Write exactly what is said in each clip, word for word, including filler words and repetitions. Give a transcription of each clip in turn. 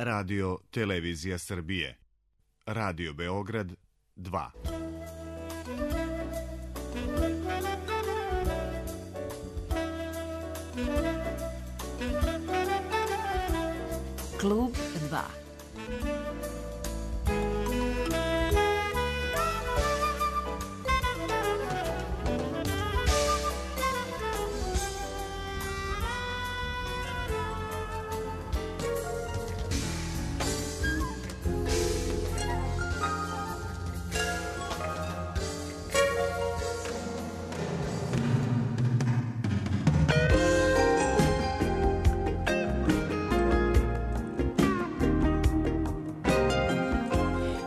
Radio Televizija Srbije. Radio Beograd dva. Klub dva.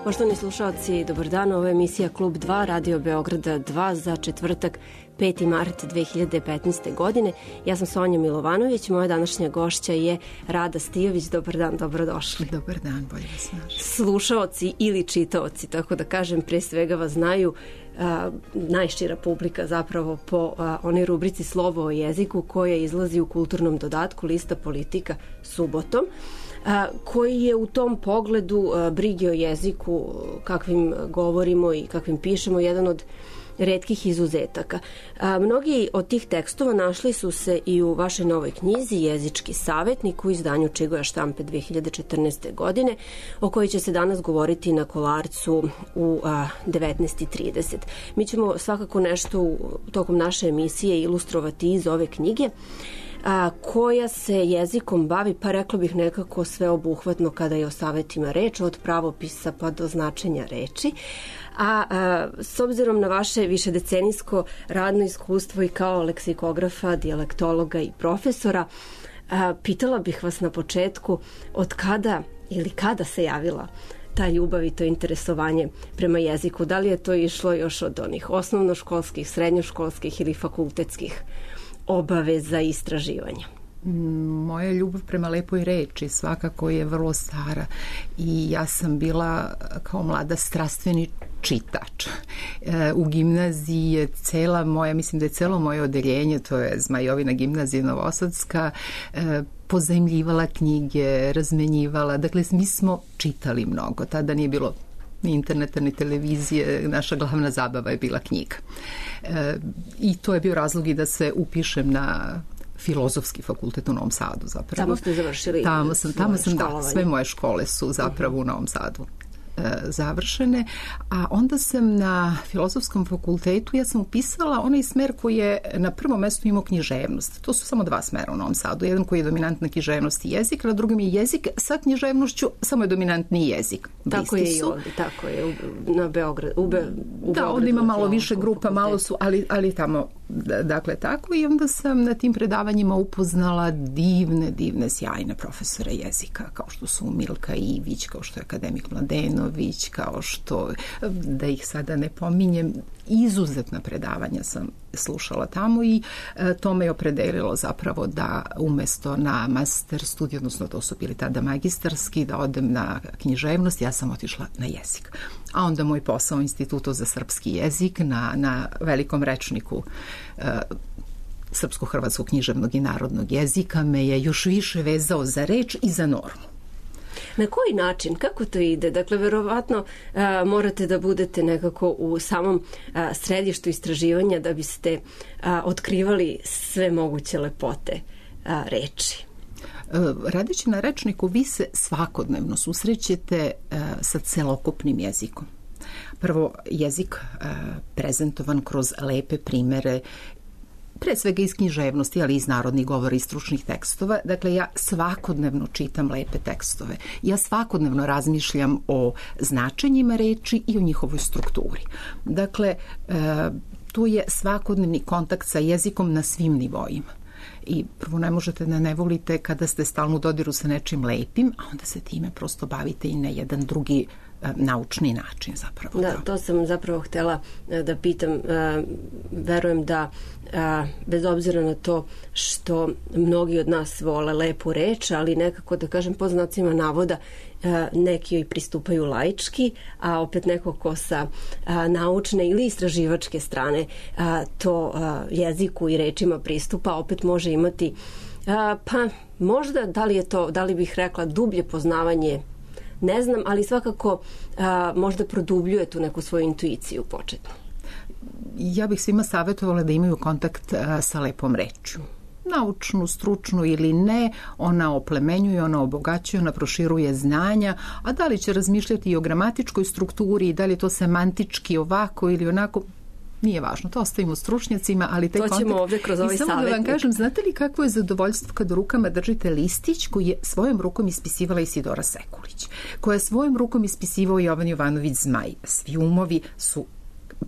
Poštovani slušalci, dobar dan, ovo je emisija Klub dva, Radio Beograda dva za četvrtak, peti mart dve hiljade petnaeste. godine. Ja sam Sonja Milovanović, moja današnja gošća je Rada Stijović. Dobar dan, dobrodošli. Dobar dan, bolje vas našli. Slušaoci ili čitaoci, tako da kažem, pre svega vas znaju a, najšira publika zapravo po a, onoj rubrici Slovo o jeziku koja izlazi u kulturnom dodatku Lista politika subotom, a, koji je u tom pogledu a, brige o jeziku, kakvim govorimo i kakvim pišemo, jedan od retkih izuzetaka. A, mnogi od tih tekstova našli su se i u vašoj novoj knjizi Jezički savetnik u izdanju Čigoja štampe dve hiljade četrnaeste. godine, o kojoj će se danas govoriti na Kolarcu u a, devetnaest i trideset. Mi ćemo svakako nešto u, tokom naše emisije ilustrovati iz ove knjige, a, koja se jezikom bavi, pa rekla bih nekako sveobuhvatno kada je o savetima reč, od pravopisa pa do značenja reči. A, a s obzirom na vaše višedecenijsko radno iskustvo i kao leksikografa, dijalektologa i profesora, a, pitala bih vas na početku od kada ili kada se javila ta ljubav i to interesovanje prema jeziku? Da li je to išlo još od onih osnovnoškolskih, srednjoškolskih ili fakultetskih obaveza i istraživanja? Moja ljubav prema lepoj reči svakako je vrlo stara i ja sam bila kao mlada strastveni čitač. E, u gimnaziji je cela moja, mislim da je celo moje odeljenje, to je Zmajovina gimnazija Novosadska, e, pozajmljivala knjige, razmenjivala, dakle mi smo čitali mnogo, tada nije bilo ni interneta, ni televizije, naša glavna zabava je bila knjiga. E, I to je bio razlog i da se upišem na Filozofski fakultet u Novom Sadu zapravo. Tamo ste završili tamo sam, tamo sam, da, sve moje škole su zapravo u Novom Sadu e, završene, a onda sam na Filozofskom fakultetu, ja sam upisala onaj smer koji je na prvom mestu imao književnost. To su samo dva smera u Novom Sadu. Jedan koji je dominantna književnost i jezik, a na drugom je jezik sa književnošću, samo je dominantni jezik. Tako je i ovdje, tako je, u, na Beograd, u, Be, u da, ovdje ima malo više grupa, malo su, ali, ali tamo, dakle tako, i onda sam na tim predavanjima upoznala divne, divne, sjajne profesore jezika, kao što su Milka Ivić, kao što je akademik Mladenović, kao što, da ih sada ne pominjem, izuzetna predavanja sam slušala tamo i e, to me je opredelilo zapravo da umesto na master studij, odnosno to su bili tada magistarski, da odem na književnost, ja sam otišla na jezik. A onda moj posao u Institutu za srpski jezik na, na velikom rečniku e, srpsko-hrvatskog književnog i narodnog jezika me je još više vezao za reč i za normu. Na koji način? Kako to ide? Dakle, verovatno a, morate da budete nekako u samom a, središtu istraživanja da biste a, otkrivali sve moguće lepote a, reči. Radeći na rečniku, vi se svakodnevno susrećete a, sa celokupnim jezikom. Prvo, jezik a, prezentovan kroz lepe primere, pre svega iz književnosti, ali iz narodnih govora i stručnih tekstova. Dakle, ja svakodnevno čitam lepe tekstove. Ja svakodnevno razmišljam o značenjima reči i o njihovoj strukturi. Dakle, e, tu je svakodnevni kontakt sa jezikom na svim nivoima. I prvo ne možete da ne volite kada ste stalno u dodiru sa nečim lepim, a onda se time prosto bavite i na jedan drugi naučni način zapravo. Da, to sam zapravo htela da pitam. Verujem da bez obzira na to što mnogi od nas vole lepu reč, ali nekako, da kažem, po znacima navoda, neki joj pristupaju laički, a opet neko ko sa naučne ili istraživačke strane to jeziku i rečima pristupa, opet može imati A, pa možda, da li je to, da li bih rekla dublje poznavanje, ne znam, ali svakako a, možda produbljuje tu neku svoju intuiciju početnu. Ja bih svima savjetovala da imaju kontakt a, sa lepom rečju. Naučnu, stručnu ili ne, ona oplemenjuje, ona obogaćuje, ona proširuje znanja, a da li će razmišljati i o gramatičkoj strukturi i da li je to semantički ovako ili onako, nije važno, to ostavimo stručnjacima, ali taj kontakt... To ćemo ovdje kroz ovaj savjetnik. I samo da vam kažem, znate li kakvo je zadovoljstvo kad u rukama držite listić koji je svojom rukom ispisivala Isidora Sekulić, koja je svojom rukom ispisivao Jovan Jovanović Zmaj. Svi umovi su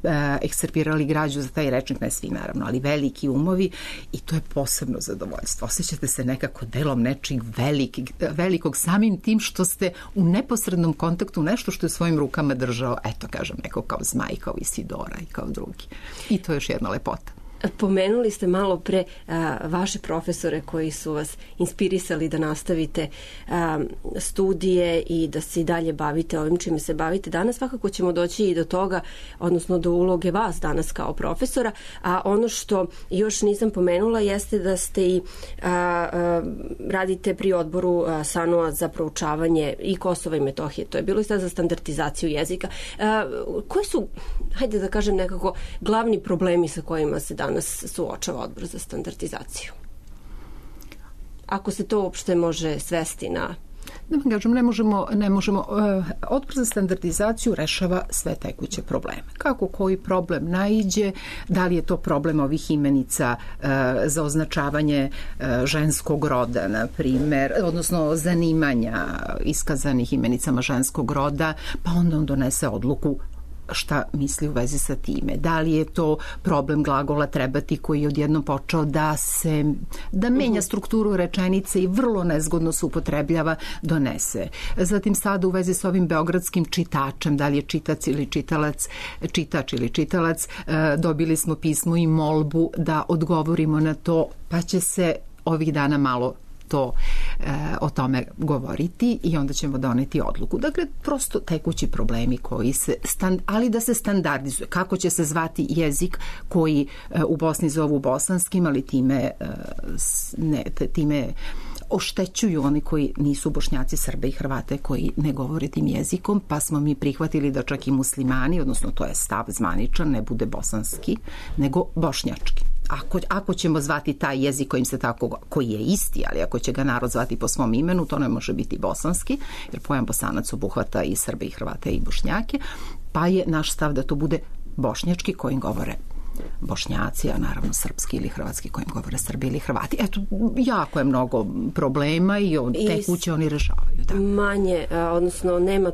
e, ekscerpirali građu za taj rečnik, ne svi naravno, ali veliki umovi, i to je posebno zadovoljstvo. Osjećate se nekako delom nečeg velikog, velikog samim tim što ste u neposrednom kontaktu nešto što je svojim rukama držao, eto kažem, neko kao Zmaj, kao Isidora i kao drugi. I to je još jedna lepota. Pomenuli ste malo pre a, vaše profesore koji su vas inspirisali da nastavite a, studije i da se i dalje bavite ovim čime se bavite. Danas svakako ćemo doći i do toga, odnosno do uloge vas danas kao profesora, a ono što još nisam pomenula jeste da ste i a, a, radite pri odboru a, S A N U-a za proučavanje i Kosova i Metohije. To je bilo i sad za standardizaciju jezika. A, koji su, hajde da kažem nekako, glavni problemi sa kojima se danas suočava odbor za standardizaciju? Ako se to uopšte može svesti na... Da vam kažem, ne možemo, ne možemo, uh, odbor za standardizaciju rešava sve tekuće probleme. Kako koji problem naiđe, da li je to problem ovih imenica uh, za označavanje uh, ženskog roda, na primer, odnosno zanimanja iskazanih imenicama ženskog roda, pa onda on donese odluku šta misli u vezi sa time. Da li je to problem glagola trebati koji je odjednom počeo da se da menja strukturu rečenice i vrlo nezgodno se upotrebljava, donese. Zatim sada u vezi s ovim beogradskim čitačem, da li je čitac ili čitalac, čitač ili čitalac, dobili smo pismo i molbu da odgovorimo na to, pa će se ovih dana malo to e, o tome govoriti i onda ćemo doneti odluku. Dakle, prosto tekući problemi koji se, stand, ali da se standardizuje. Kako će se zvati jezik koji e, u Bosni zovu bosanskim, ali time, e, ne, time oštećuju oni koji nisu Bošnjaci, Srbe i Hrvate koji ne govore tim jezikom, pa smo mi prihvatili da čak i muslimani, odnosno to je stav zvaničan, ne bude bosanski, nego bošnjački. Ako, ako ćemo zvati taj jezik kojim se tako, koji je isti, ali ako će ga narod zvati po svom imenu, to ne može biti bosanski, jer pojam Bosanac obuhvata i Srbe i Hrvate i Bošnjake, pa je naš stav da to bude bošnjački kojim govore Bošnjaci, a naravno srpski ili hrvatski kojim govore Srbi ili Hrvati. Eto, jako je mnogo problema i on, tekuće oni rešavaju. Da. Manje, odnosno nema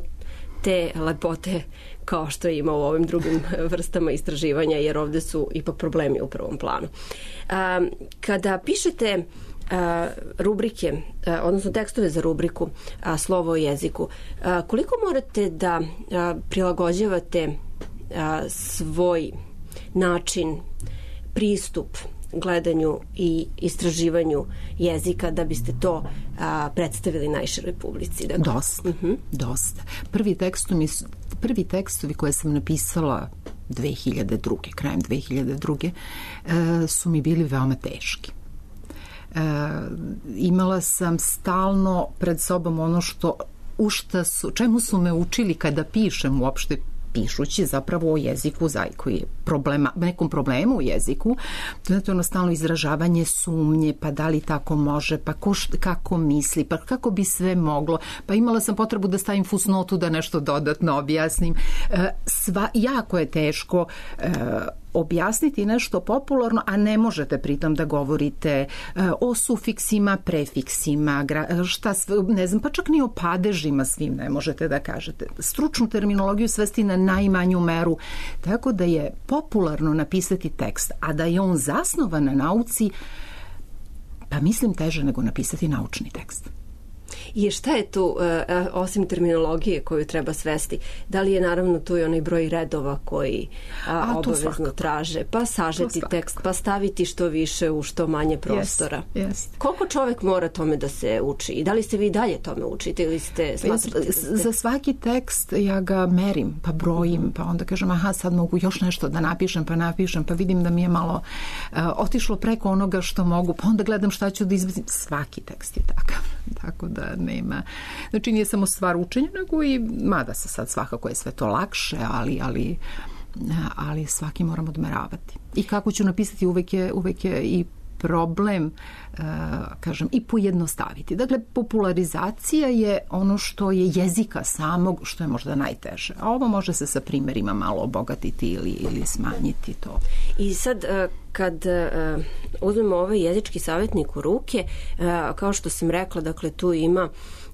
te lepote kao što ima u ovim drugim vrstama istraživanja, jer ovde su ipak problemi u prvom planu. Kada pišete rubrike, odnosno tekstove za rubriku Slovo o jeziku, koliko morate da prilagođavate svoj način, pristup gledanju i istraživanju jezika da biste to a, predstavili najširoj publici? Dakle. Dosta, uh-huh. dosta. Prvi tekstovi, prvi tekstovi koje sam napisala dve hiljade druge, krajem dve hiljade druge, e, su mi bili veoma teški. E, imala sam stalno pred sobom ono što, u šta su, čemu su me učili kada pišem uopšte pišući zapravo o jeziku koji je problema, nekom problemu u jeziku, to je ono stalno izražavanje sumnje, pa da li tako može, pa ko, kako misli, pa kako bi sve moglo, pa imala sam potrebu da stavim fusnotu da nešto dodatno objasnim. Sva, jako je teško objasniti nešto popularno, a ne možete pritom da govorite o sufiksima, prefiksima, šta sve, ne znam, pa čak ni o padežima svim ne možete da kažete. Stručnu terminologiju svesti na najmanju meru, tako da je popularno napisati tekst, a da je on zasnovan na nauci, pa mislim teže nego napisati naučni tekst. I šta je tu, osim terminologije koju treba svesti, da li je naravno tu i onaj broj redova koji a, a, obavezno svakako traže, pa sažeti tekst, pa staviti što više u što manje prostora. Yes, yes. Koliko čovek mora tome da se uči? I da li ste vi dalje tome učite ili ste smatrali? Ja, ste... Za svaki tekst ja ga merim, pa brojim, pa onda kažem aha, sad mogu još nešto da napišem, pa napišem, pa vidim da mi je malo uh, otišlo preko onoga što mogu, pa onda gledam šta ću da izbacim. Svaki tekst je takav, tako da nema. Znači nije samo stvar učenja, nego i, mada se sad svakako je sve to lakše, ali, ali, ali svaki moram odmeravati. I kako ću napisati uvek je, uvek je i problem, uh, kažem, i pojednostaviti. Dakle, popularizacija je ono što je jezika samog, što je možda najteže. A ovo može se sa primjerima malo obogatiti ili, ili smanjiti to. I sad, uh, kad uh, uzmemo ovaj jezički savjetnik u ruke, uh, kao što sam rekla, dakle, tu ima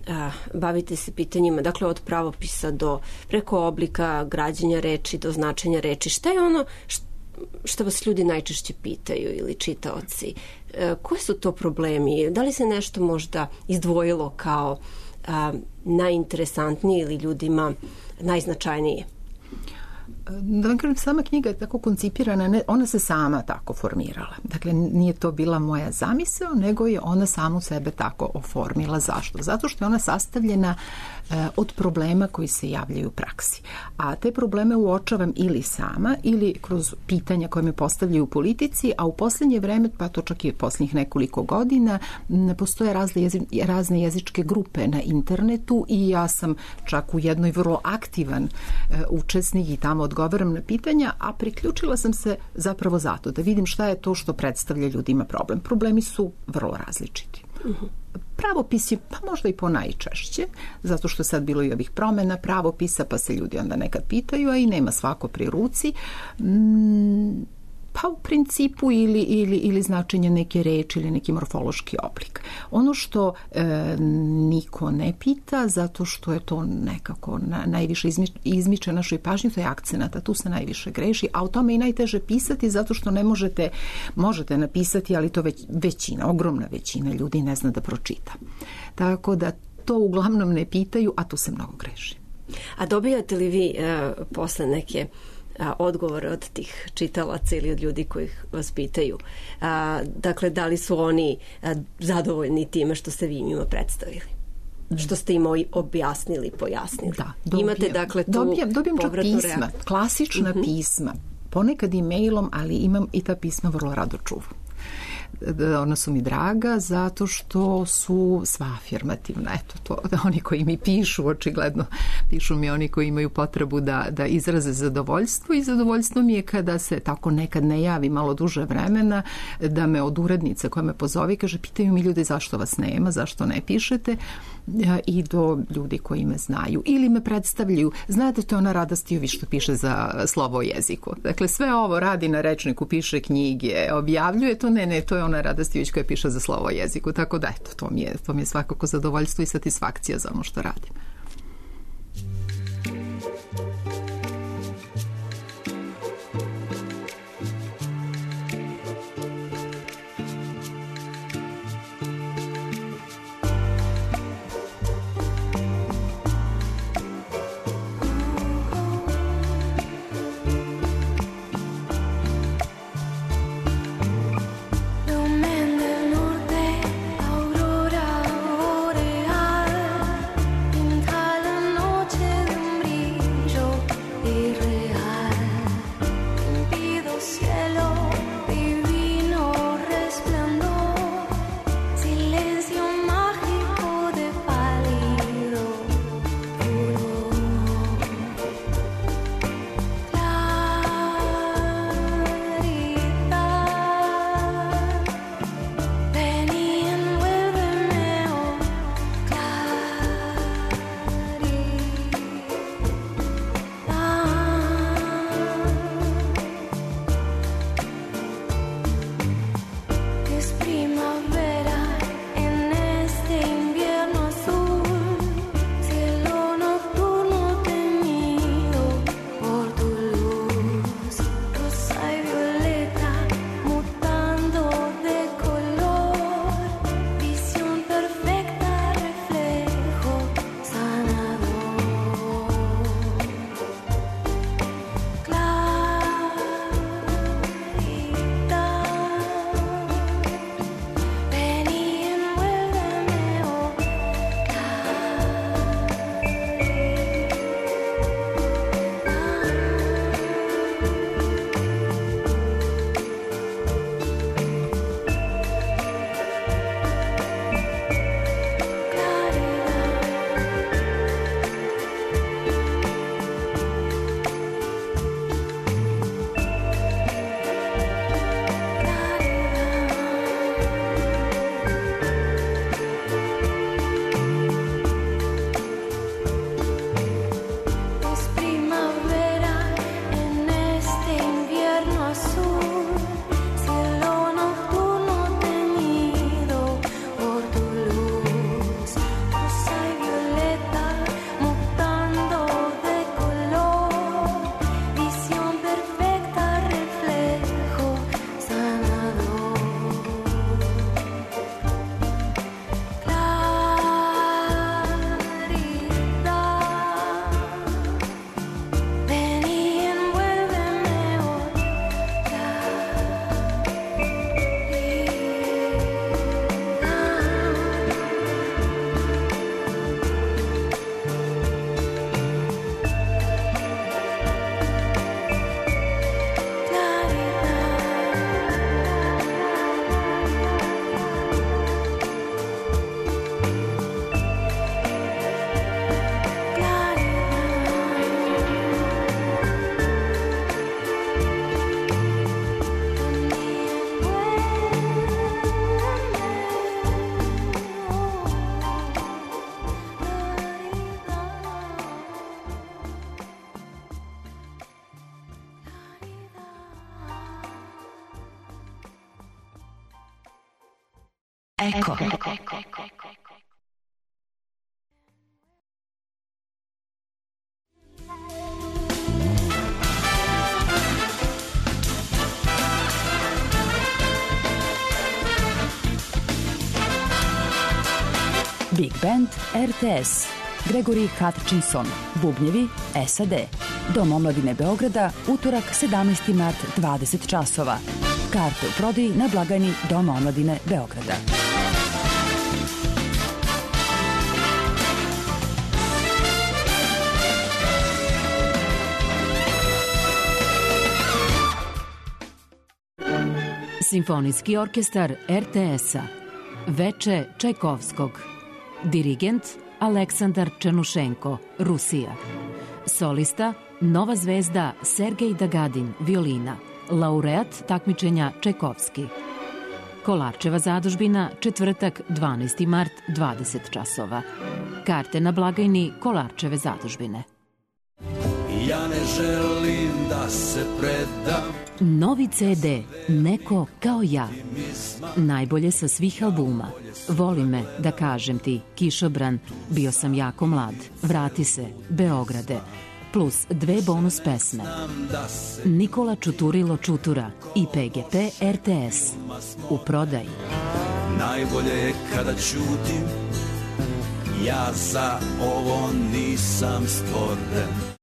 Uh, bavite se pitanjima, dakle, od pravopisa do preko oblika građenja reči do značenja reči. Šta je ono što što vas ljudi najčešće pitaju ili čitaoci? E, koji su to problemi? Da li se nešto možda izdvojilo kao a, najinteresantnije ili ljudima najznačajnije? Da vam kažem, sama knjiga je tako koncipirana, ne, ona se sama tako formirala. Dakle, nije to bila moja zamisao, nego je ona samu sebe tako oformila. Zašto? Zato što je ona sastavljena e, od problema koji se javljaju u praksi. A te probleme uočavam ili sama, ili kroz pitanja koje me postavljaju u politici, a u posljednje vreme, pa to čak i posljednjih nekoliko godina, ne postoje razne, jezi, razne jezičke grupe na internetu i ja sam čak u jednoj vrlo aktivan e, učesnik i tamo odgovaram na pitanja, a priključila sam se zapravo zato da vidim šta je to što predstavlja ljudima problem. Problemi su vrlo različiti. Uh-huh. Pravopis je pa možda i po najčešće, zato što sad bilo i ovih promena pravopisa, pa se ljudi onda nekad pitaju, a i nema svako pri ruci. Mm, pa u principu ili, ili, ili značenje neke reči ili neki morfološki oblik. Ono što e, niko ne pita, zato što je to nekako na, najviše izmi, izmiče našoj pažnji, to je akcenat, a tu se najviše greši, a o tome i najteže pisati, zato što ne možete, možete napisati, ali to već, većina, ogromna većina ljudi ne zna da pročita. Tako da to uglavnom ne pitaju, a tu se mnogo greši. A dobijate li vi e, posle neke odgovore od tih čitalaca ili od ljudi koji vas pitaju? A, dakle, da li su oni a, zadovoljni time što ste vi njima predstavili? Što ste im objasnili, pojasnili? Da, dobijem, imate dakle tu dobijem, dobijem čak pisma, reakciju. Klasična uh-huh. pisma, ponekad i mailom, ali imam i ta pisma vrlo rado čuvam. Ona su mi draga zato što su sva afirmativna. Eto, to, da oni koji mi pišu, očigledno pišu mi oni koji imaju potrebu da, da izraze zadovoljstvo i zadovoljstvo mi je kada se tako nekad ne javi malo duže vremena, da me od urednice koja me pozove kaže, pitaju mi ljudi zašto vas nema, zašto ne pišete, i do ljudi koji me znaju ili me predstavljaju. Znate, to je ona Rada Stijović što piše za Slovo o jeziku. Dakle, sve ovo radi na rečniku, piše knjige, objavljuje to, ne, ne, to je ona Rada Stijović koja piše za Slovo o jeziku. Tako da, eto, to mi je, to mi je svakako zadovoljstvo i satisfakcija za ono što radim. Lumen del norte, aurora boreal. Eko. Big Band R T S. Gregory Hutchinson, bubnjevi S A D. Dom omladine Beograda, utorak sedamnaesti mart, dvadeset časova. Karte u prodaji na blagajni Doma omladine Beograda. Simfonijski orkestar R T S-a. Veče Čajkovskog. Dirigent Aleksandar Černušenko, Rusija. Solista Nova zvezda Sergej Dagadin, violina. Laureat takmičenja Čajkovski. Kolarčeva zadužbina, četvrtak, dvanaesti mart, dvadeset časova. Karte na blagajni Kolarčeve zadužbine. Ja ne želim da se predam. Novi C D Neko kao ja. Najbolje sa svih albuma. Voli me, da kažem ti, Kišobran, Bio sam jako mlad, Vrati se, Beograde, plus dve bonus pesme. Nikola Čuturilo Čutura i P G P R T S. U prodaji. Najbolje je kada ćutim, ja za ovo nisam stvoren.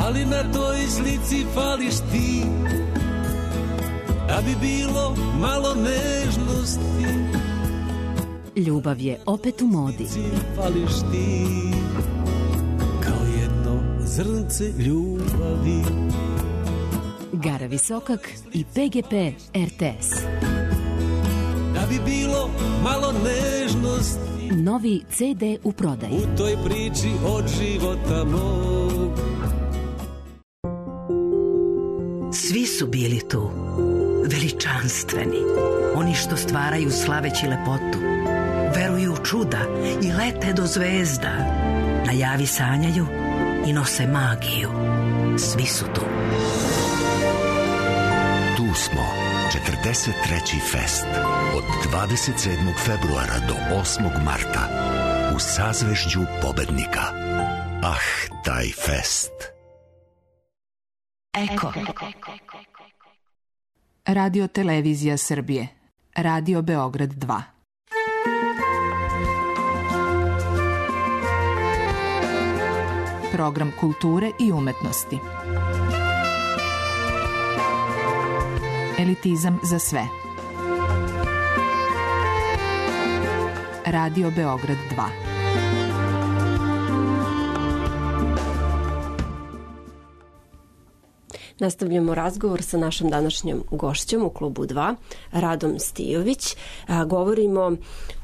Ali na toj slici fališ ti, da bi bilo malo nežnosti. Ljubav je opet u modi. Fališ ti, kao jedno zrnce ljubavi. Gara Visokak i P G P R T S. Da bi bilo malo nežnosti. Novi C D u prodaji. U toj priči od života mog. Svi su bili tu, veličanstveni, oni što stvaraju slaveći lepotu, veruju u čuda i lete do zvezda, na javi sanjaju i nose magiju. Svi su tu. Tu smo, četrdeset treći fest, od dvadeset sedmog februara do osmog marta, u sazvežđu pobednika. Ah, taj fest! Eko. Radio Televizija Srbije. Radio Beograd dva. Program kulture i umetnosti. Elitizam za sve. Radio Beograd dva. Nastavljamo razgovor sa našom današnjom gošćom u klubu dva, Radom Stijović. A, govorimo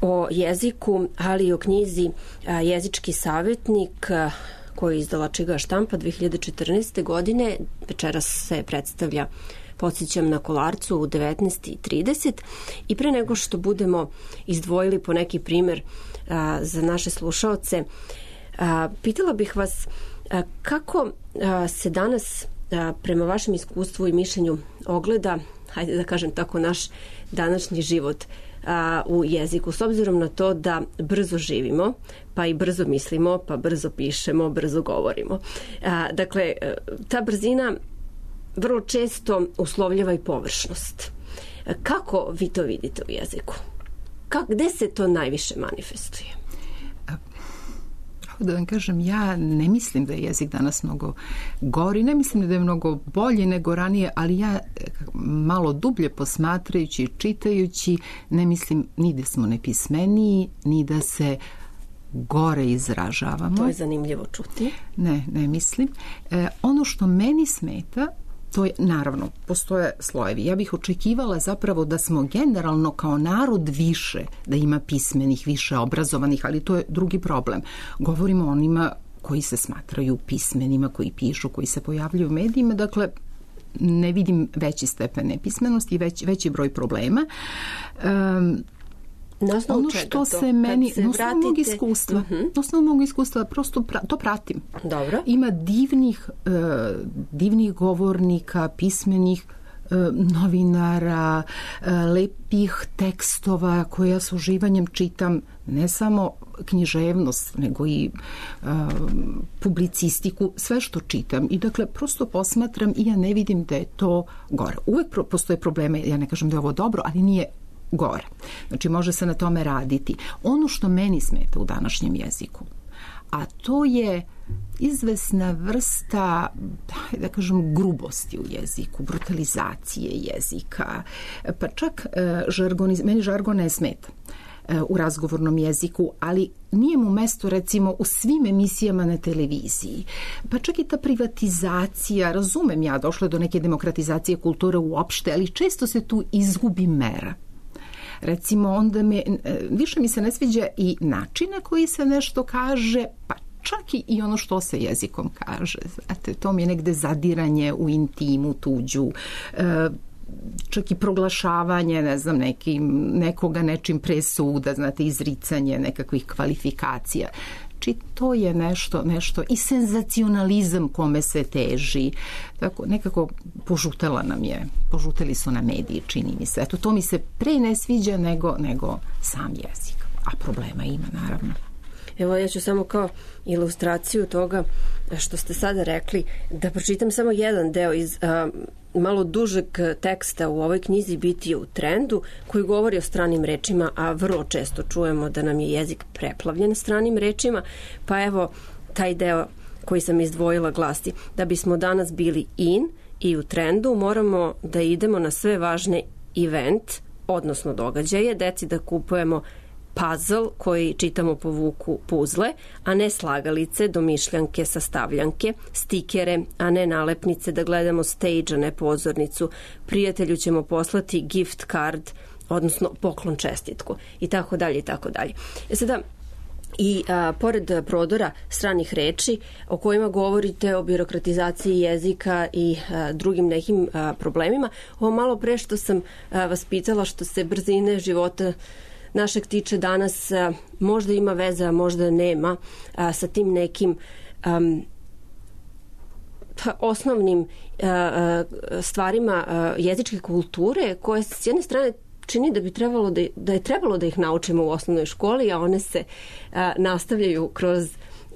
o jeziku, ali i o knjizi a, Jezički savjetnik, a, koju je izdala Čiga štampa dve hiljade četrnaeste. godine. Večeras se predstavlja, podsjećam, na Kolarcu u devetnaest i trideset. I pre nego što budemo izdvojili po neki primer a, za naše slušaoce, a, pitala bih vas a, kako a, se danas a, prema vašem iskustvu i mišljenju ogleda, hajde da kažem tako, naš današnji život a, u jeziku, s obzirom na to da brzo živimo, pa i brzo mislimo, pa brzo pišemo, brzo govorimo. A, dakle, ta brzina vrlo često uslovljava i površnost. Kako vi to vidite u jeziku? Kako, gde se to najviše manifestuje? Da vam kažem, ja ne mislim da je jezik danas mnogo gori, ne mislim da je mnogo bolji nego ranije, ali ja malo dublje posmatrajući, čitajući, ne mislim ni da smo nepismeniji, ni da se gore izražavamo. To je zanimljivo čuti. Ne, ne mislim. E, ono što meni smeta, to je, naravno, postoje slojevi. Ja bih očekivala zapravo da smo generalno kao narod više, da ima pismenih, više obrazovanih, ali to je drugi problem. Govorimo o onima koji se smatraju pismenima, koji pišu, koji se pojavljuju u medijima, dakle, ne vidim veći stepen nepismenosti i već, veći broj problema. Um, ono što se meni, se na osnovu vratite... mog iskustva, uh-huh. na osnovu mog iskustva, prosto pra, to pratim. Dobro. Ima divnih, uh, divnih govornika, pismenih, novinara, lepih tekstova koje ja s uživanjem čitam, ne samo književnost, nego i uh, publicistiku, sve što čitam. I dakle, prosto posmatram i ja ne vidim da je to gore. Uvek pro, postoje probleme, ja ne kažem da je ovo dobro, ali nije gore. Znači, može se na tome raditi. Ono što meni smeta u današnjem jeziku, a to je izvesna vrsta, da kažem, grubosti u jeziku, brutalizacije jezika, pa čak žargon, meni žargon ne smeta u razgovornom jeziku, ali nije mu mesto recimo u svim emisijama na televiziji. Pa čak i ta privatizacija, razumem ja, došlo do neke demokratizacije kulture uopšte, ali često se tu izgubi mera. Recimo, onda me, više mi se ne sviđa i način na koji se nešto kaže, pa čak i ono što se jezikom kaže. Znate, to mi je negde zadiranje u intimu tuđu, čak i proglašavanje, ne znam, nekim, nekoga nečim pre suda, znate, izricanje nekakvih kvalifikacija. Či to je nešto, nešto i senzacionalizam kome se teži. Tako, nekako požutela nam je, požuteli su na mediji, čini mi se. Eto, to mi se pre ne sviđa nego, nego sam jezik. A problema ima, naravno. Evo, ja ću samo kao ilustraciju toga što ste sada rekli, da pročitam samo jedan deo iz a, malo dužeg teksta u ovoj knjizi Biti u trendu, koji govori o stranim rečima, a vrlo često čujemo da nam je jezik preplavljen stranim rečima, pa evo taj deo koji sam izdvojila glasi: da bismo danas bili in i u trendu, moramo da idemo na sve važne event, odnosno događaje, deci da kupujemo puzzle koji čitamo po vuku puzle, a ne slagalice, domišljanke, sastavljanke, stikere, a ne nalepnice, da gledamo stage, a ne pozornicu. Prijatelju ćemo poslati gift card, odnosno poklon čestitku, i tako dalje, i tako dalje. E sada, i a, pored prodora stranih reči o kojima govorite, o birokratizaciji jezika i a, drugim nekim a, problemima, ovo malo pre što sam a, vas pitala, što se brzine života našeg tiče danas, a, možda ima veze, a možda nema, a, sa tim nekim um, osnovnim a, a, stvarima a, jezičke kulture, koje s jedne strane čini da bi trebalo da, da je trebalo da ih naučimo u osnovnoj školi, a one se a, nastavljaju kroz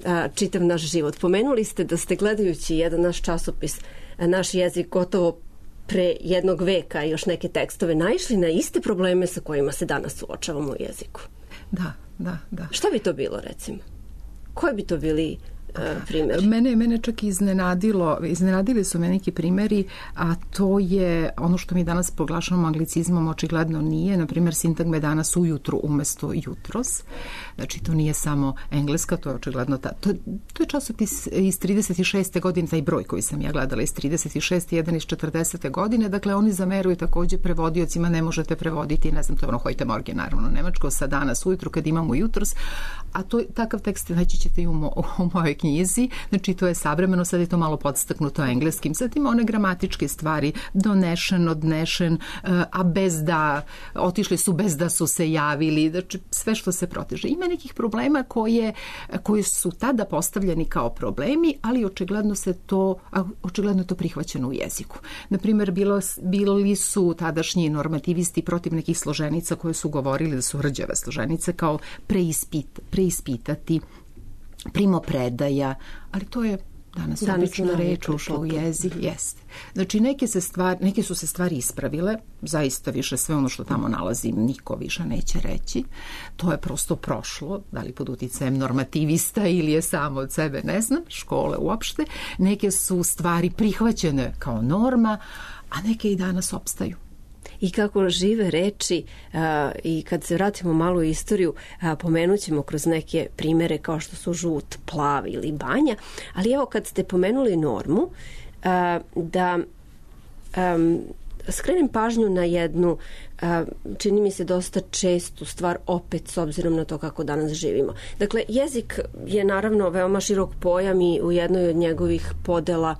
a, čitav naš život. Pomenuli ste da ste, gledajući jedan naš časopis, a, naš jezik gotovo pre jednog veka i još neke tekstove, naišli na iste probleme sa kojima se danas suočavamo u jeziku. Da, da, da. Šta bi to bilo, recimo? Koji bi to bili uh, primjeri? Mene, mene čak iznenadilo, iznenadili su me neki primjeri, a to je ono što mi danas proglašavamo anglicizmom, očigledno nije. Na primjer, sintagme danas ujutru umesto jutros. Znači, to nije samo engleska, to je očigledno ta, to, to je časopis iz trideset šeste godine, taj broj koji sam ja gledala iz trideset šeste, jedan iz četrdesete godine. Dakle, oni zameruju takođe prevodiocima, ne možete prevoditi, ne znam, to je ono Heute Morgen, naravno, nemačko, sa danas ujutru kad imamo jutros, a to, takav tekst naći ćete i u, mo, u mojoj knjizi. Znači, to je savremeno, sad je to malo podstaknuto engleskim. Sad ima one gramatičke stvari, donešen, odnešen, a bez da, otišli su bez da su se javili, znači sve što se proteže. Ima nekih problema koje, koji su tada postavljeni kao problemi, ali očigledno se to, očigledno je to prihvaćeno u jeziku. Naprimjer, bilo, bili su tadašnji normativisti protiv nekih složenica koje su govorili da su rđave složenice, kao preispit, preispitati, primopredaja, ali to je danas obična reč ušla u jezik, jeste. Znači, neke, se stvari, neke su se stvari ispravile, zaista više sve ono što tamo nalazim niko više neće reći. To je prosto prošlo, da li pod uticajem normativista ili je samo od sebe, ne znam, škole uopšte. Neke su stvari prihvaćene kao norma, a neke i danas opstaju. I kako žive reči, a, i kad se vratimo malo u istoriju, a, pomenut ćemo kroz neke primere kao što su žut, plav ili banja, ali evo kad ste pomenuli normu, a, da a, skrenem pažnju na jednu, a, čini mi se dosta čestu stvar, opet s obzirom na to kako danas živimo. Dakle, jezik je naravno veoma širok pojam i u jednoj od njegovih podela,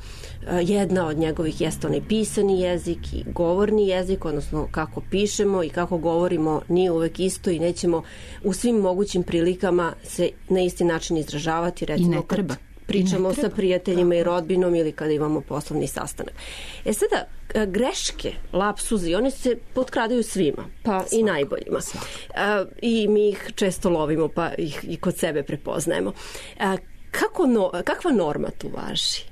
a, jedna od njegovih jeste onaj pisani jezik i govorni jezik, odnosno kako pišemo i kako govorimo nije uvek isto i nećemo u svim mogućim prilikama se na isti način izražavati. Recimo, i ne treba. pričamo sa prijateljima i rodbinom ili kada imamo poslovni sastanak. E sada, greške, lapsuzi, one se potkradaju svima, pa svako, i najboljima. Svako. I mi ih često lovimo, pa ih i kod sebe prepoznajemo. Kako no, kakva norma tu važi?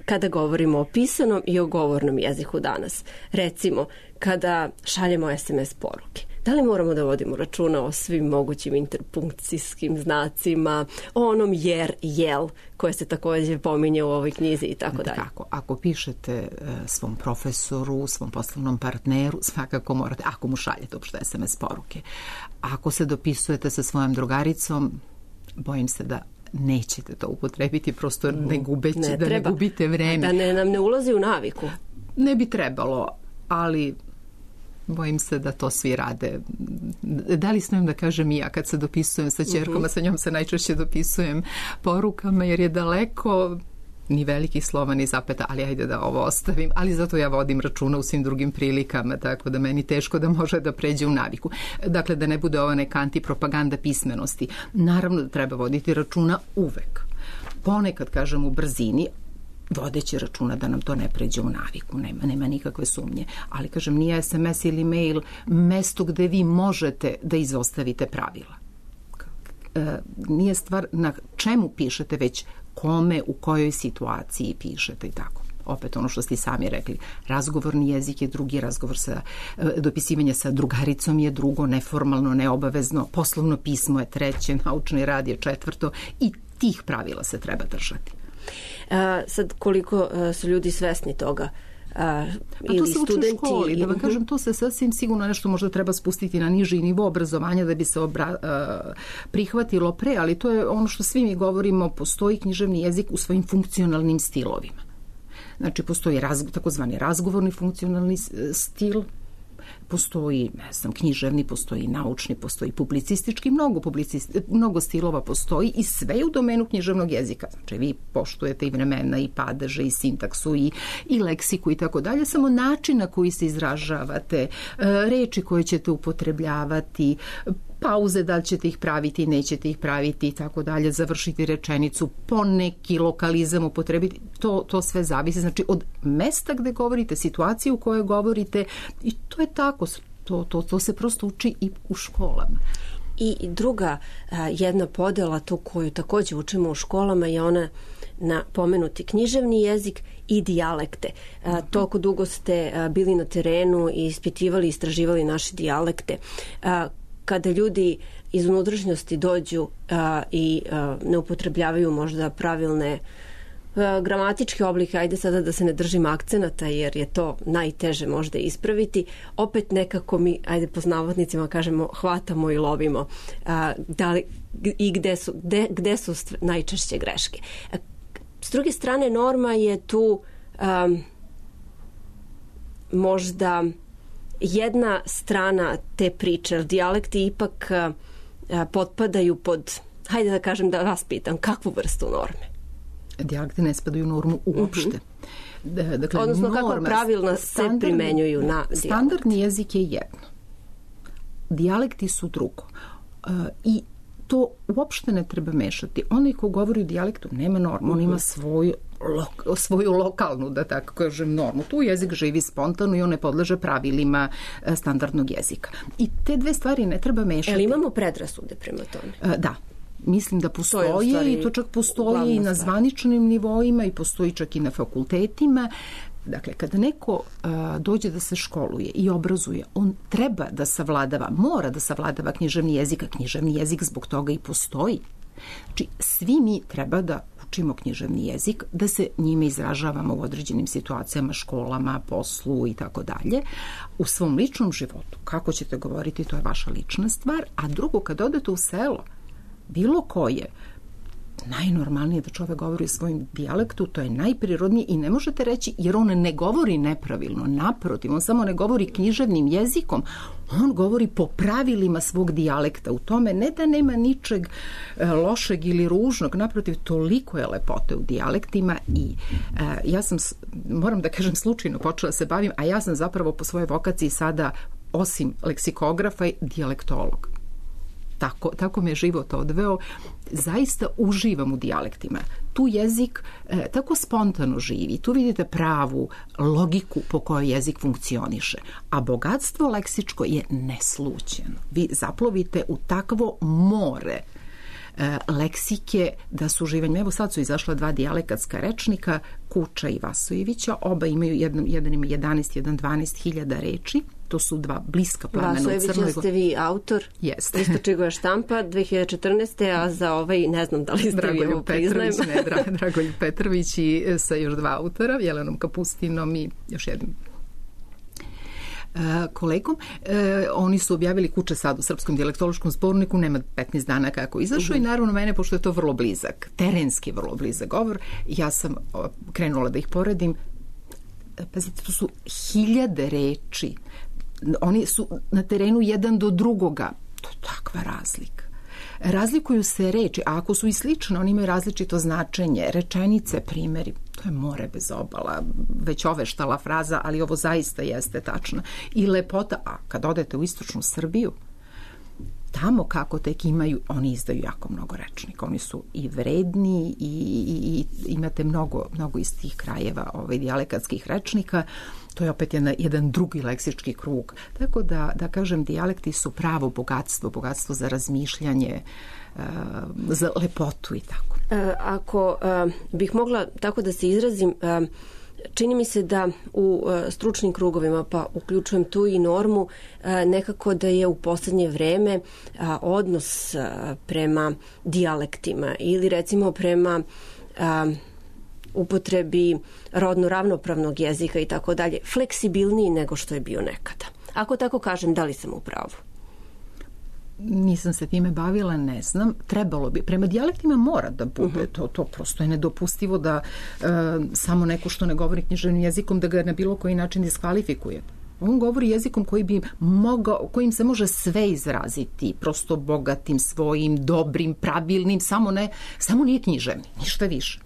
Kada govorimo o pisanom i o govornom jeziku danas? Recimo, kada šaljemo es em es poruke. Da li moramo da vodimo računa o svim mogućim interpunkcijskim znacima, o onom jer, jel, koje se također pominje u ovoj knjizi i tako dalje? Tako, ako pišete svom profesoru, svom poslovnom partneru, svakako morate, ako mu šaljete uopšte es em es poruke. Ako se dopisujete sa svojom drugaricom, bojim se da nećete to upotrebiti, prosto ne gubeći, ne da ne gubite vreme. Da ne, nam ne ulazi u naviku. Ne bi trebalo, ali bojim se da to svi rade. Da li smijem da kažem i ja kad se dopisujem sa ćerkom, a sa njom se najčešće dopisujem porukama jer je daleko, ni velikih slova ni zapeta, ali ajde da ovo ostavim, ali zato ja vodim računa u svim drugim prilikama, tako da meni teško da može da pređe u naviku. Dakle, da ne bude ova neka antipropaganda pismenosti. Naravno da treba voditi računa uvek. Ponekad, kažem, u brzini, vodeći računa da nam to ne pređe u naviku, nema, nema nikakve sumnje. Ali, kažem, nije es em es ili mail mesto gde vi možete da izostavite pravila. E, nije stvar na čemu pišete, već kome, u kojoj situaciji pišete i tako. Opet ono što ste sami rekli, razgovorni jezik je drugi, razgovor sa, dopisivanje sa drugaricom je drugo, neformalno, neobavezno, poslovno pismo je treće, naučni rad je četvrto i tih pravila se treba držati. A, sad koliko a, su ljudi svesni toga? A, ili to se uči studenti, u školi, da vam kažem, to se sasvim sigurno nešto možda treba spustiti na niži nivo obrazovanja da bi se obra, uh, prihvatilo pre, ali to je ono što svi mi govorimo, postoji književni jezik u svojim funkcionalnim stilovima. Znači, postoji raz, takozvani razgovorni funkcionalni stil, postoji, ne znam, književni, postoji naučni, postoji publicistički, mnogo, publicisti, mnogo stilova postoji i sve u domenu književnog jezika. Znači, vi poštujete i vremena, i padeže, i sintaksu, i, i leksiku i tako dalje, samo način na koji se izražavate, reči koje ćete upotrebljavati, pauze, da li ćete ih praviti, nećete ih praviti i tako dalje, završiti rečenicu, poneki lokalizam upotrebiti, to, to sve zavisi. Znači, od mesta gde govorite, situacije u kojoj govorite i to je tako, to, to, to se prosto uči i u školama. I druga jedna podela, tu koju također učimo u školama, je ona na pomenuti književni jezik i dijalekte. A, toliko dugo ste a, bili na terenu i ispitivali i istraživali naše dijalekte. A, kada ljudi iz unutrašnjosti dođu a, i a, ne upotrebljavaju možda pravilne a, gramatičke oblike, ajde sada da se ne držim akcenata jer je to najteže možda ispraviti, opet nekako mi, ajde po navodnicima kažemo, hvatamo i lovimo a, da li, i gde su, gde, gde su najčešće greške. A, s druge strane, norma je tu a, možda jedna strana te priče, dijalekti ipak a, a, potpadaju pod, hajde da kažem, da vas pitam, kakvu vrstu norme? Dijalekti ne spadaju u normu uopšte. Uh-huh. Da, dakle, odnosno norma, kako pravilno se primenjuju na dijalekt? Standardni jezik je jedno. Dijalekti su drugo. Uh, I to uopšte ne treba mešati. Onaj ko govori u dijalektu nema normu, on ima svoju, lo, svoju lokalnu, da tako kažem, normu. Tu jezik živi spontano i on ne podleže pravilima standardnog jezika. I te dve stvari ne treba mešati. Ali imamo predrasude prema tome? Da. Mislim da postoje to i to čak postoji i na zvaničnim nivoima i postoji čak i na fakultetima. Dakle, kada neko a, dođe da se školuje i obrazuje, on treba da savladava, mora da savladava književni jezik, a književni jezik zbog toga i postoji. Znači, svi mi treba da učimo književni jezik, da se njime izražavamo u određenim situacijama, školama, poslu i tako dalje. U svom ličnom životu, kako ćete govoriti, to je vaša lična stvar, a drugo, kad odete u selo, bilo koje, najnormalnije da čovek govori u svojim dijalektu, to je najprirodnije i ne možete reći jer on ne govori nepravilno, naprotiv, on samo ne govori književnim jezikom, on govori po pravilima svog dijalekta. U tome ne da nema ničeg lošeg ili ružnog, naprotiv, toliko je lepote u dijalektima i e, ja sam, moram da kažem, slučajno počela se bavim, a ja sam zapravo po svojoj vokaciji sada, osim leksikografa, dijalektolog. tako, tako me život odveo, zaista uživam u dijalektima. Tu jezik e, tako spontano živi, tu vidite pravu logiku po kojoj jezik funkcioniše, a bogatstvo leksičko je neslućeno. Vi zaplovite u takvo more e, leksike da su uživanje. Evo sad su izašla dva dijalekatska rečnika, Kuča i Vasojevića, oba imaju, jedan, jedan ima jedanaest, jedan dvanaest hiljada reči. To su dva bliska plamena u Crnoj Gori. Vasojevića ste vi autor. Jeste. Istočigova štampa dve hiljade četrnaeste. A za ovaj, ne znam da li ste vi ovo priznajem. Ne, Dra, Dragoljub Petrović i sa još dva autora, Jelenom Kapustinom i još jednim kolegom. E, oni su objavili Kuče sad u Srpskom dijalektološkom zborniku, nema petnaest dana kako izašao uh-huh. i naravno mene, pošto je to vrlo blizak, terenski vrlo blizak govor, ja sam krenula da ih poredim. Pazite, to su hiljade reči. Oni su na terenu jedan do drugoga. To je takva razlika. Razlikuju se reči, a ako su i slične, oni imaju različito značenje. Rečenice, primjeri, to je more bez obala, već oveštala fraza, ali ovo zaista jeste tačno. I lepota, a kad odete u istočnu Srbiju, tamo kako tek imaju, oni izdaju jako mnogo rečnika. Oni su i vredni i, i, i imate mnogo, mnogo iz tih krajeva ovaj, dijalekatskih rečnika. To je opet jedan, jedan drugi leksički krug. Tako da, da kažem, dijalekti su pravo bogatstvo, bogatstvo za razmišljanje, uh, za lepotu i tako. E, ako uh, bih mogla tako da se izrazim, uh, čini mi se da u uh, stručnim krugovima, pa uključujem tu i Normu, uh, nekako da je u poslednje vreme uh, odnos uh, prema dijalektima ili recimo prema uh, upotrebi rodno ravnopravnog jezika i tako dalje, fleksibilniji nego što je bio nekada. Ako tako kažem, da li sam u pravu? Nisam se time bavila, ne znam. Trebalo bi. Prema dijalektima mora da bude. Uh-huh. To, to prosto je nedopustivo da e, samo neko što ne govori književnim jezikom da ga na bilo koji način diskvalifikuje. On govori jezikom koji bi mogao, kojim se može sve izraziti, prosto bogatim, svojim, dobrim, pravilnim, samo ne, samo nije književni, ništa više.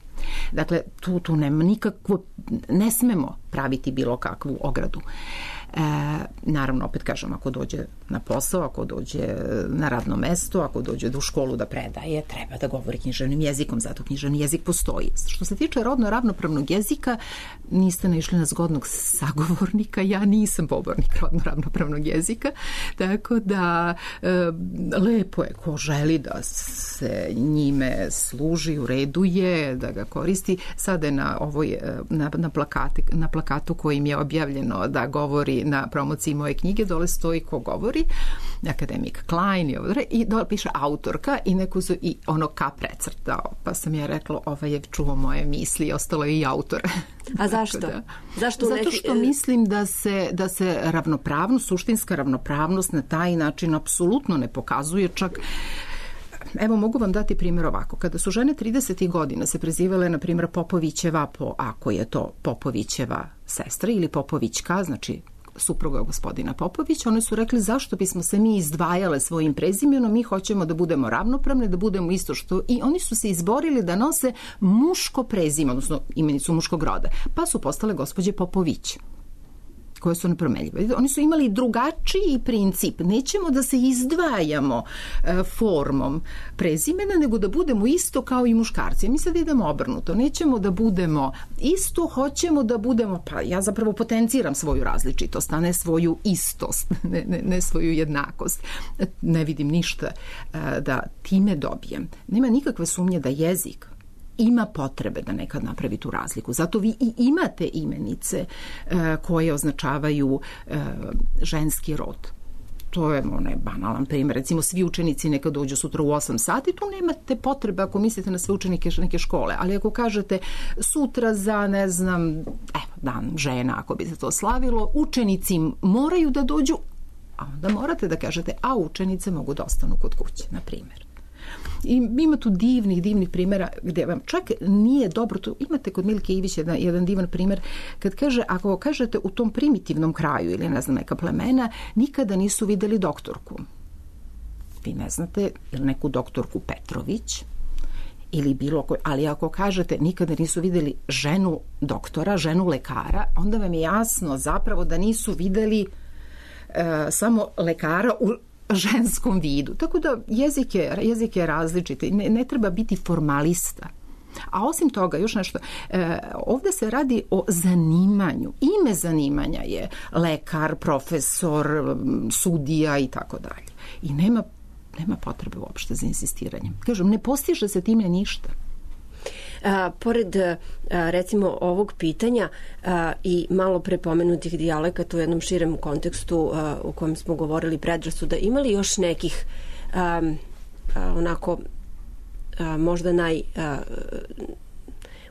Dakle, tu, tu nema nikakvo, ne smemo praviti bilo kakvu ogradu. E, naravno, opet kažem, ako dođe na posao, ako dođe na radno mesto, ako dođe u školu da predaje, treba da govori književnim jezikom, zato književni jezik postoji. Što se tiče rodno ravnopravnog jezika, niste naišli na zgodnog sagovornika, ja nisam pobornik rodno ravnopravnog jezika, tako da e, lepo je ko želi da se njime služi, ureduje, da ga koristi. Sada je na, ovoj, na, na, plakati, na plakatu kojim je objavljeno da govori na promociji moje knjige, dole stoji ko govori, akademik Klein i, i dole piše autorka i neku su i ono ka precrtao, pa sam ja rekla ovaj je čuo moje misli i ostalo je i autor. A zašto? da. Zašto Zato neki... što mislim da se, da se ravnopravnost, suštinska ravnopravnost na taj način apsolutno ne pokazuje, čak evo mogu vam dati primjer ovako. Kada su žene tridesetih godina se prezivale, na primjer, Popovićeva, po, ako je to Popovićeva sestra ili Popovićka, znači supruga gospodina Popovića, one su rekli zašto bismo se mi izdvajale svojim prezimenom, mi hoćemo da budemo ravnopravne, da budemo isto što, i oni su se izborili da nose muško prezime, odnosno imenicu muškog roda, pa su postale gospođe Popović, koje su nepromenljive. Oni su imali drugačiji princip. Nećemo da se izdvajamo e, formom prezimena, nego da budemo isto kao i muškarci. Mi sad idemo obrnuto. Nećemo da budemo isto, hoćemo da budemo, pa ja zapravo potenciram svoju različitost, a ne svoju istost, ne, ne, ne svoju jednakost. Ne vidim ništa e, da time dobijem. Nema nikakve sumnje da jezik ima potrebe da nekad napravi tu razliku. Zato vi i imate imenice e, koje označavaju e, ženski rod. To je onaj banalan primjer. Recimo, svi učenici neka dođu sutra u osam sati, tu nemate potrebe ako mislite na sve učenike neke škole. Ali ako kažete sutra za, ne znam, evo, dan žena, ako bi se to slavilo, učenici moraju da dođu, a onda morate da kažete, a učenice mogu da ostanu kod kuće, na primjer. I ima tu divnih, divnih primjera gdje vam čak nije dobro, tu imate kod Milke Ivić jedan, jedan divan primjer, kad kaže, ako kažete u tom primitivnom kraju ili ne znam neka plemena, nikada nisu videli doktorku. Vi ne znate ili neku doktorku Petrović ili bilo koji, ali ako kažete nikada nisu videli ženu doktora, ženu lekara, onda vam je jasno zapravo da nisu videli uh, samo lekara u ženskom vidu. Tako da jezik je, jezik je različit. Ne, ne treba biti formalista. A osim toga, još nešto, e, ovde se radi o zanimanju. Ime zanimanja je lekar, profesor, sudija i tako dalje. I nema, nema potrebe uopšte za insistiranjem. Kažem, ne postiže se time ništa. A, pored a, recimo ovog pitanja a, i malo pre pomenutih dijalekata u jednom širem kontekstu a, u kojem smo govorili predrasuda, imali još nekih a, a, onako a, možda naj a,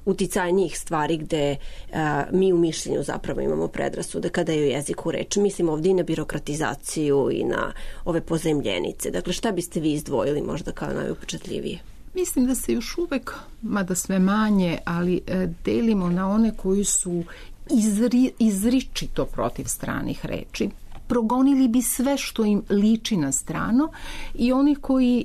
uticajnijih stvari gde a, mi u mišljenju zapravo imamo predrasude kada je o jeziku reč. Mislim ovdje i na birokratizaciju i na ove pozajmljenice. Dakle, šta biste vi izdvojili možda kao najupečatljivije? Mislim da se još uvek, mada sve manje, ali e, delimo na one koji su izri, izričito protiv stranih reči. Progonili bi sve što im liči na strano i oni koji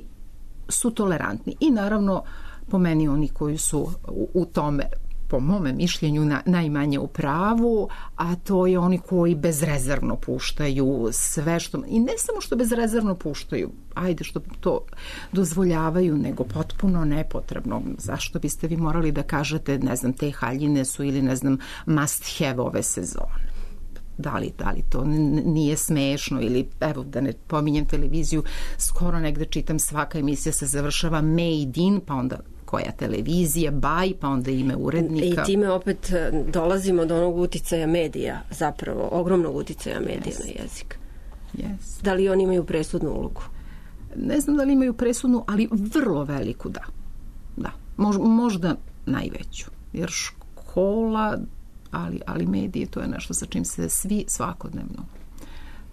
su tolerantni. I naravno, po meni, oni koji su u, u tome, po mome mišljenju, na, najmanje u pravu, a to je oni koji bezrezervno puštaju sve što... I ne samo što bezrezervno puštaju, ajde što to dozvoljavaju, nego potpuno nepotrebno. Zašto biste vi morali da kažete, ne znam, te haljine su ili, ne znam, must have ove sezone? Da li, da li to nije smešno ili, evo, da ne pominjem televiziju, skoro negde čitam, svaka emisija se završava made in, pa onda koja televizija, by, pa onda ime urednika. I time opet dolazimo do onog uticaja medija, zapravo, ogromnog uticaja medija yes. na jezik. Yes. Da li oni imaju presudnu ulogu? Ne znam da li imaju presudnu, ali vrlo veliku, da. Da, Mož, možda najveću. Jer škola, ali, ali medije, to je nešto sa čim se svi svakodnevno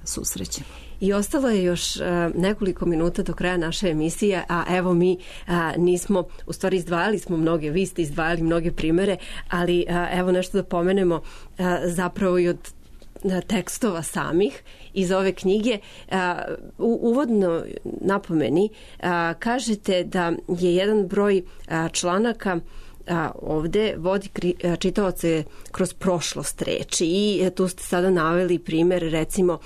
susrećemo. I ostalo je još uh, nekoliko minuta do kraja naše emisije, a evo mi uh, nismo, u stvari izdvajali smo mnoge, vi ste izdvajali mnoge primere, ali uh, evo nešto da pomenemo uh, zapravo i od uh, tekstova samih iz ove knjige. Uh, u uvodno napomeni uh, kažete da je jedan broj uh, članaka a, ovde vodi čitaoce kroz prošlost reči i tu ste sada naveli primjer recimo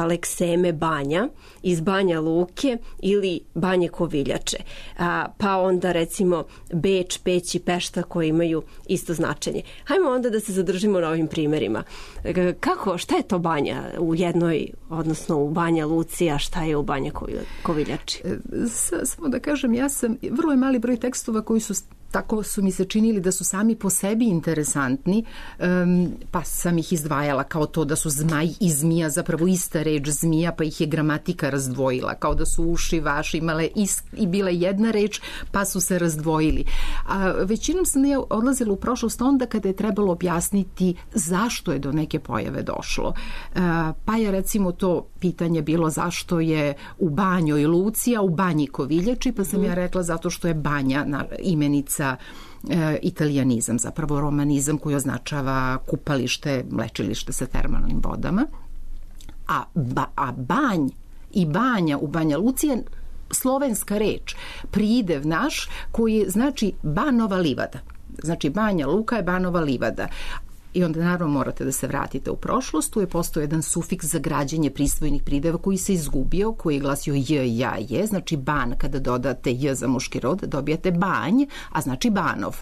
Lekseme Banja iz Banja Luke ili Banje Koviljače, a, pa onda recimo Beč, Peć i Pešta koji imaju isto značenje. Hajmo onda da se zadržimo na ovim primjerima. Kako, šta je to Banja u jednoj, odnosno u Banja Luci, a šta je u Banje Koviljači? Samo da kažem, ja sam, vrlo je mali broj tekstova koji su tako su mi se činili da su sami po sebi interesantni, um, pa sam ih izdvajala kao to da su zmaj i zmija zapravo ista reč zmija, pa ih je gramatika razdvojila, kao da su uši vaši imale ist, i bile jedna reč, pa su se razdvojili. A većinom sam ja odlazila u prošlost onda kada je trebalo objasniti zašto je do neke pojave došlo. Uh, pa je recimo to pitanje bilo zašto je u Banjoj Luci, a u Banji Koviljači, pa sam mm. ja rekla zato što je Banja na, imenica E, italijanizam, zapravo romanizam koji označava kupalište, lečilište sa termalnim vodama. A, ba, a banj i banja u Banja Luci je slovenska reč, pridev naš koji znači Banova livada. Znači Banja Luka je Banova livada. I onda naravno morate da se vratite u prošlost. Tu je postao jedan sufiks za građenje prisvojnih prideva koji se izgubio, koji je glasio j, ja, je. Znači ban, kada dodate j za muški rod, dobijate banj, a znači Banov.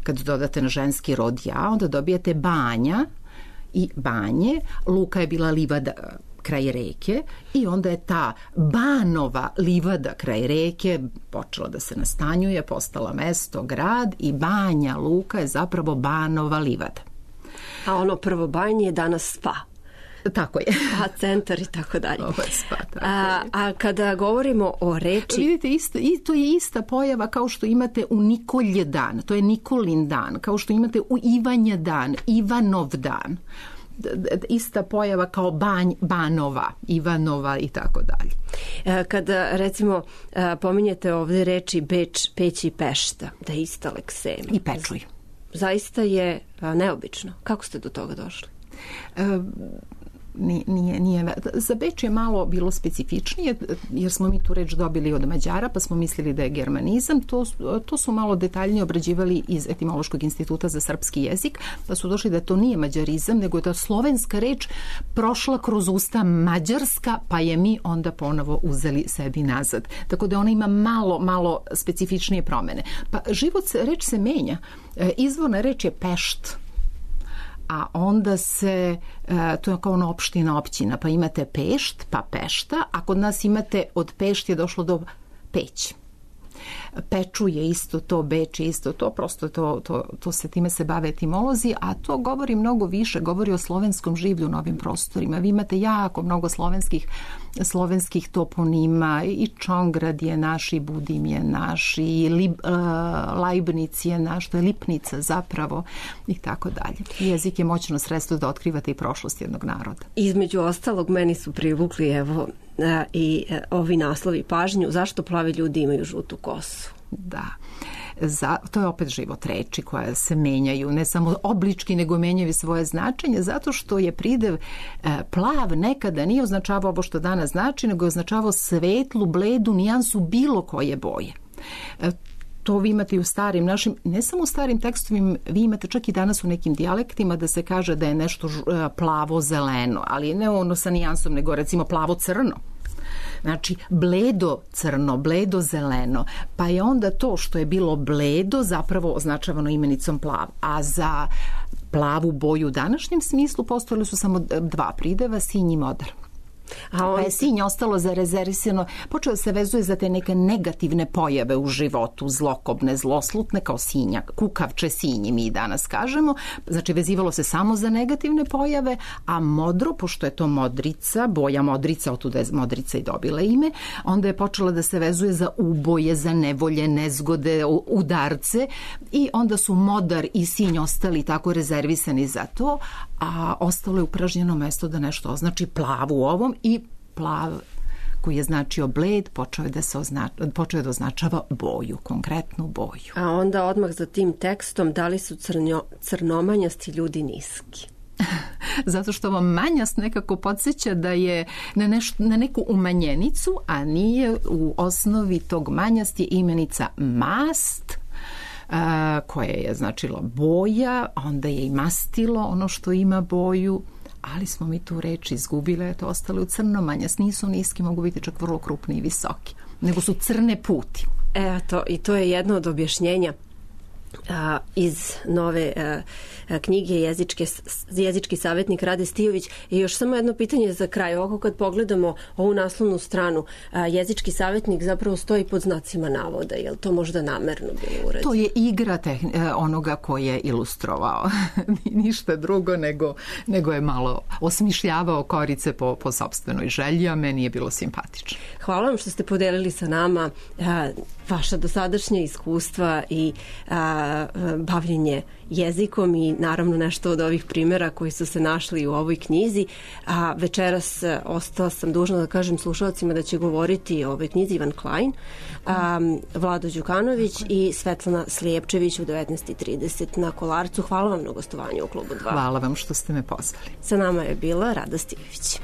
Kada dodate na ženski rod ja, onda dobijate Banja i Banje. Luka je bila livada kraj reke i onda je ta Banova livada kraj reke počela da se nastanjuje, postala mesto, grad i Banja Luka je zapravo Banova livada. A ono prvo banje je danas spa. Tako je. A centar i tako dalje. Ovo je spa, tako a, je. a kada govorimo o reči... Vidite, isto, i to je ista pojava kao što imate u Nikolje dan. To je Nikolin dan. Kao što imate u Ivanja dan, Ivanov dan. Ista pojava kao Banj, Banova, Ivanova i tako dalje. Kada recimo pominjete ovdje reči Beč, Peć i Pešta, da je ista Leksema. I Pečuj. Zaista je neobično. Kako ste do toga došli? E, nije, nije, za Beč je malo bilo specifičnije, jer smo mi tu reč dobili od Mađara, pa smo mislili da je germanizam. To, to su malo detaljnije obrađivali iz Etimološkog instituta za srpski jezik, pa su došli da to nije mađarizam, nego je to slovenska reč prošla kroz usta mađarska, pa je mi onda ponovo uzeli sebi nazad. Tako da ona ima malo, malo specifičnije promene. Pa život, reč se menja. Izvorna reč je Pešt, a onda se, to je kao ona opština, općina, pa imate Pešt, pa Pešta, a kod nas imate od Pešt je došlo do Peć. Peču je isto to, Beč je isto to, prosto to, to, to se time se bave etimolozi, a to govori mnogo više, govori o slovenskom življu na ovim prostorima. Vi imate jako mnogo slovenskih, slovenskih toponima, i Čongrad je naš, i Budim je naš, i Lib, uh, Lajbnic je naš, to je Lipnica zapravo, i tako dalje. Jezik je moćno sredstvo da otkrivate i prošlost jednog naroda. Između ostalog, meni su privukli, evo, i ovi naslovi pažnju, zašto plavi ljudi imaju žutu kosu? Da, za, to je opet život reči koja se menjaju, ne samo oblički, nego menjaju svoje značenje, zato što je pridev e, plav nekada nije označavao ovo što danas znači, nego je označavao svetlu, bledu, nijansu bilo koje boje. E, To vi imate i u starim našim, ne samo u starim tekstovima, vi imate čak i danas u nekim dijalektima da se kaže da je nešto plavo-zeleno, ali ne ono sa nijansom, nego recimo plavo-crno. Znači, bledo crno, bledo zeleno, pa je onda to što je bilo bledo zapravo označavano imenicom plav, a za plavu boju u današnjem smislu postojali su samo dva prideva, sinj i modar. A on... Pa je sinj ostalo zarezervisano, počeo se vezuje za te neke negativne pojave u životu, zlokobne, zloslutne, kao sinjak, kukavče sinji mi danas kažemo, znači vezivalo se samo za negativne pojave, a modro, pošto je to modrica, boja modrica, otuda je modrica i dobila ime, onda je počela da se vezuje za uboje, za nevolje, nezgode, udarce, i onda su modar i sinj ostali tako rezervisani za to, a ostalo je upražnjeno mesto da nešto označi plav u ovom, i plav koji je značio bled počeo je da se označ, počeo da označava boju, konkretnu boju. A onda odmah za tim tekstom, da li su crnjo, crnomanjasti ljudi niski? Zato što vam manjast nekako podsjeća da je na, neš, na neku umanjenicu, a nije. U osnovi tog manjast je imenica mast, a, koje je značilo boja, onda je i mastilo ono što ima boju, ali smo mi tu reč izgubile, to ostale u crnomanjast, nisu niski, mogu biti čak vrlo krupni i visoki, nego su crne puti. Eto, i to je jedno od objašnjenja a, iz nove a, a, knjige jezičke, jezički savjetnik Rade Stijović. I još samo jedno pitanje za kraj. Ovako kad pogledamo ovu naslovnu stranu, a, jezički savjetnik zapravo stoji pod znacima navoda. Je li to možda namerno bilo urađeno? To je igra tehn, onoga koji je ilustrovao. Ništa drugo nego, nego je malo osmišljavao korice po, po sopstvenoj želji, a meni je bilo simpatično. Hvala vam što ste podelili sa nama a, vaša dosadašnja iskustva i a, bavljenje jezikom i naravno nešto od ovih primjera koji su se našli u ovoj knjizi. A večeras ostala sam dužna da kažem slušalcima da će govoriti o ovoj knjizi Ivan Klein, a, Vlado Đukanović i Svetlana Slijepčević u devetnaest i trideset na Kolarcu. Hvala vam na gostovanju u Klubu dva. Hvala vam što ste me pozvali. Sa nama je bila Rada Stijović.